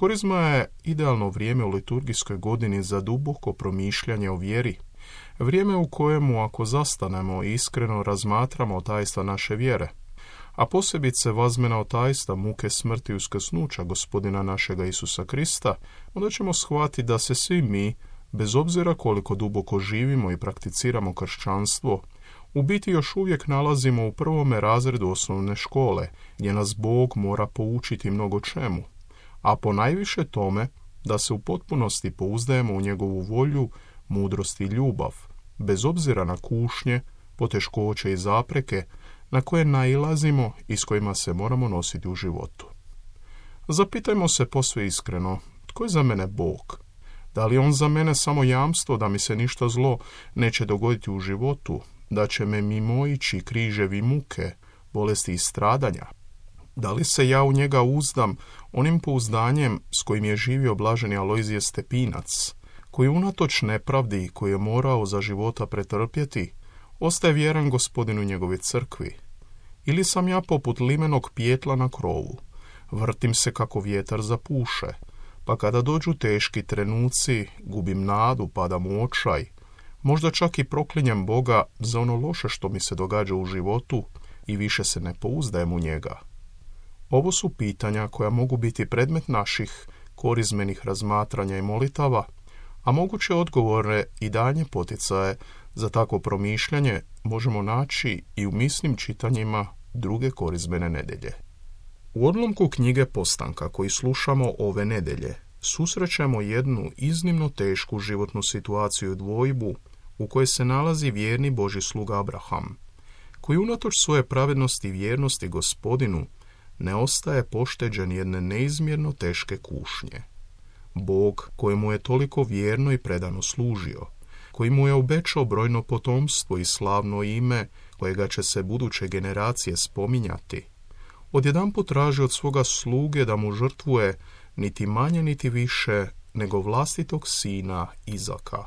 Korizma je idealno vrijeme u liturgijskoj godini za duboko promišljanje o vjeri. Vrijeme u kojemu, ako zastanemo i iskreno razmatramo tajstva naše vjere, a posebice vazmena tajstva muke, smrti i uskrsnuća Gospodina našega Isusa Krista, onda ćemo shvatiti da se svi mi, bez obzira koliko duboko živimo i prakticiramo kršćanstvo, u biti još uvijek nalazimo u prvome razredu osnovne škole, gdje nas Bog mora poučiti mnogo čemu, a ponajviše tome da se u potpunosti pouzdajemo u njegovu volju, mudrost i ljubav, bez obzira na kušnje, poteškoće i zapreke na koje nailazimo i s kojima se moramo nositi u životu. Zapitajmo se posve iskreno, tko je za mene Bog? Da li je on za mene samo jamstvo da mi se ništa zlo neće dogoditi u životu, da će me mimoići križevi muke, bolesti i stradanja? Da li se ja u njega uzdam onim pouzdanjem s kojim je živio blaženi Alojzije Stepinac, koji unatoč nepravdi koju je morao za života pretrpjeti, ostaje vjeran Gospodinu njegove crkvi? Ili sam ja poput limenog pijetla na krovu, vrtim se kako vjetar zapuše, pa kada dođu teški trenuci, gubim nadu, padam u očaj, možda čak i proklinjem Boga za ono loše što mi se događa u životu i više se ne pouzdajem u njega? Ovo su pitanja koja mogu biti predmet naših korizmenih razmatranja i molitava, a moguće odgovore i danje poticaje za takvo promišljanje možemo naći i u misnim čitanjima druge korizmene nedelje. U odlomku knjige Postanka koji slušamo ove nedelje susrećemo jednu iznimno tešku životnu situaciju i dvojbu u kojoj se nalazi vjerni Božji sluga Abraham, koji unatoč svoje pravednosti i vjernosti Gospodinu ne ostaje pošteđen jedne neizmjerno teške kušnje. Bog kojemu je toliko vjerno i predano služio, koji mu je obećao brojno potomstvo i slavno ime kojega će se buduće generacije spominjati, odjedanput traži od svoga sluge da mu žrtvuje niti manje niti više nego vlastitog sina Izaka.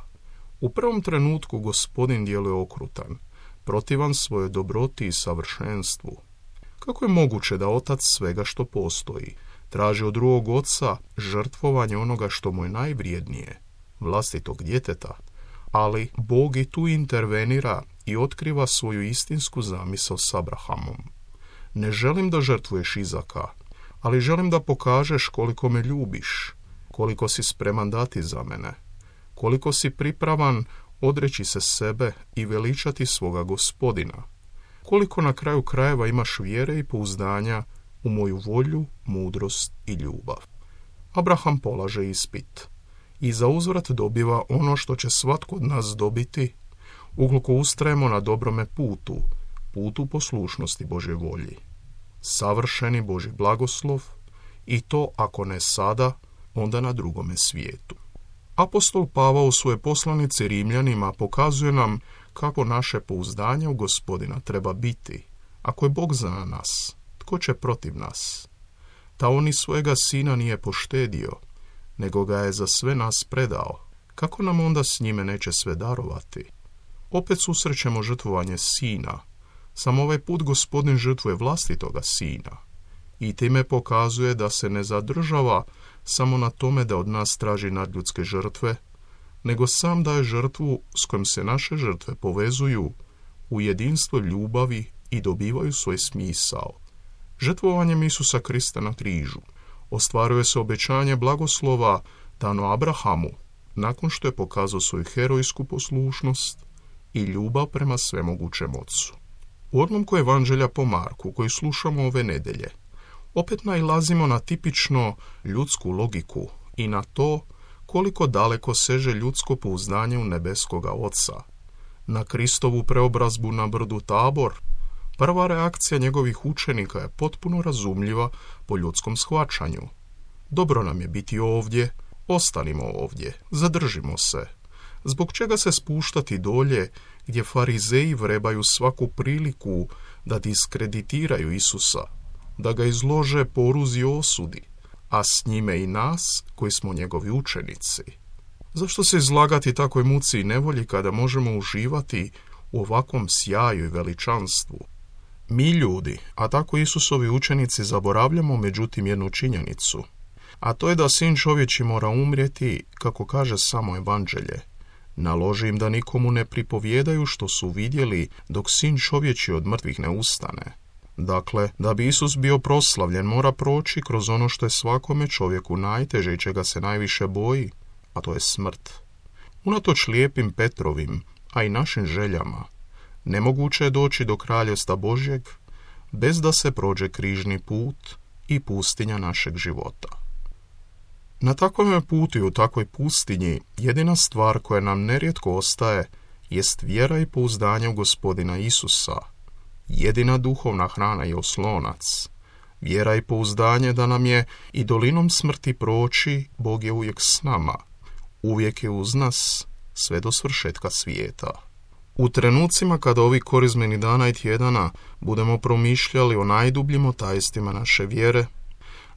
U prvom trenutku Gospodin djeluje okrutan, protivan svojoj dobroti i savršenstvu. Kako je moguće da otac svega što postoji traži od drugog oca žrtvovanje onoga što mu je najvrijednije, vlastitog djeteta? Ali Bog i tu intervenira i otkriva svoju istinsku zamisao s Abrahamom. Ne želim da žrtvuješ Izaka, ali želim da pokažeš koliko me ljubiš, koliko si spreman dati za mene, koliko si pripravan odreći se sebe i veličati svoga Gospodina, koliko na kraju krajeva imaš vjere i pouzdanja u moju volju, mudrost i ljubav. Abraham polaže ispit i za uzvrat dobiva ono što će svatko od nas dobiti ukoliko ustrajemo na dobrome putu, putu poslušnosti Božje volji. Savršeni Božji blagoslov, i to ako ne sada, onda na drugome svijetu. Apostol Pavao u svojoj poslanici Rimljanima pokazuje nam kako naše pouzdanje u Gospodina treba biti. Ako je Bog za nas, tko će protiv nas? Ta on i svojega sina nije poštedio, nego ga je za sve nas predao. Kako nam onda s njime neće sve darovati? Opet susrećemo žrtvovanje sina. Samo ovaj put Gospodin žrtvuje vlastitoga sina i time pokazuje da se ne zadržava samo na tome da od nas traži nadljudske žrtve, nego sam daje žrtvu s kojom se naše žrtve povezuju u jedinstvo ljubavi i dobivaju svoj smisao. Žrtvovanjem Isusa Krista na križu ostvaruje se obećanje blagoslova dano Abrahamu nakon što je pokazao svoju herojsku poslušnost i ljubav prema svemogućem Ocu. U odlomku Evanđelja po Marku koji slušamo ove nedelje opet nailazimo na tipično ljudsku logiku i na to koliko daleko seže ljudsko pouzdanje u nebeskoga Oca. Na Kristovu preobrazbu na brdu Tabor, prva reakcija njegovih učenika je potpuno razumljiva po ljudskom shvaćanju. Dobro nam je biti ovdje, ostanimo ovdje, zadržimo se. Zbog čega se spuštati dolje gdje farizeji vrebaju svaku priliku da diskreditiraju Isusa, da ga izlože poruzi osudi, a s njime i nas koji smo njegovi učenici? Zašto se izlagati takvoj muci i nevolji kada možemo uživati u ovakvom sjaju i veličanstvu? Mi ljudi, a tako Isusovi učenici, zaboravljamo međutim jednu činjenicu. a to je da sin čovječi mora umrijeti, kako kaže samo evanđelje. Naloži im da nikomu ne pripovjedaju što su vidjeli dok sin čovječi od mrtvih ne ustane. Dakle, da bi Isus bio proslavljen, mora proći kroz ono što je svakome čovjeku najteže i čega se najviše boji, a to je smrt. Unatoč lijepim Petrovim, a i našim željama, nemoguće je doći do kraljevstva Božjeg bez da se prođe križni put i pustinja našeg života. Na takvom putu i u takvoj pustinji jedina stvar koja nam nerijetko ostaje jest vjera i pouzdanje u Gospodina Isusa. Jedina duhovna hrana i oslonac. Vjera i pouzdanje da nam je i dolinom smrti proći, Bog je uvijek s nama. Uvijek je uz nas, sve do svršetka svijeta. U trenucima kada ovih korizmenih dana i tjedana budemo promišljali o najdubljim tajstvima naše vjere,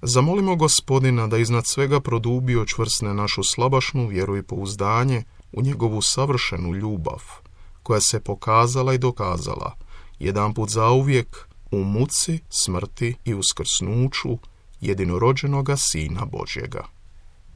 zamolimo Gospodina da iznad svega produbi i očvrsne našu slabašnu vjeru i pouzdanje u njegovu savršenu ljubav, koja se pokazala i dokazala jedanput zauvijek u muci, smrti i uskrsnuću jedinorođenoga Sina Božjega.